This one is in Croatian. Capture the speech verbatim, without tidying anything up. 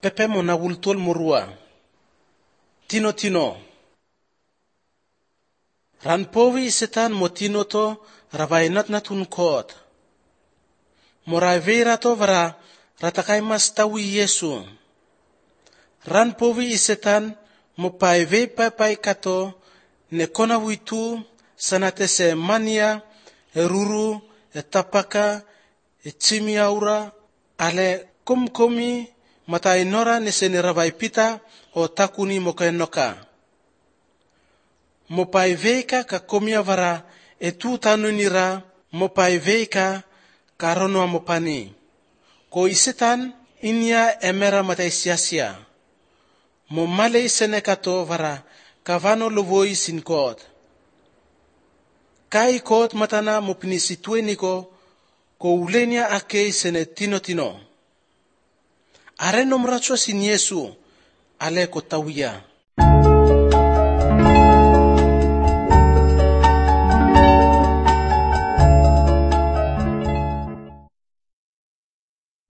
pepe mo na wultol murua. Tino tino. Ran powi setan mo tino to rabainat na tunkot. Morai vera to vara ratakai mas tawi Yesu. Ran powi setan mo pai ve pai pai kato ne kona witu sanate se mania e ruru e tapaka e chimi aura ale kumkomi matai nora ne se ne rabai pita o takuni mo kainoka. Mo pai veika ka komia vara e tu tanu nira mo pai veika ka rono mo pani. Ko isetan inia emera matai sia-sia. Mo male isene kato vara kavano lovoi sin kot. Kai kot matana mo pinisitue niko ko ulenia ake isene tino tino. Are nomracho sin Yesu ale ko tawia.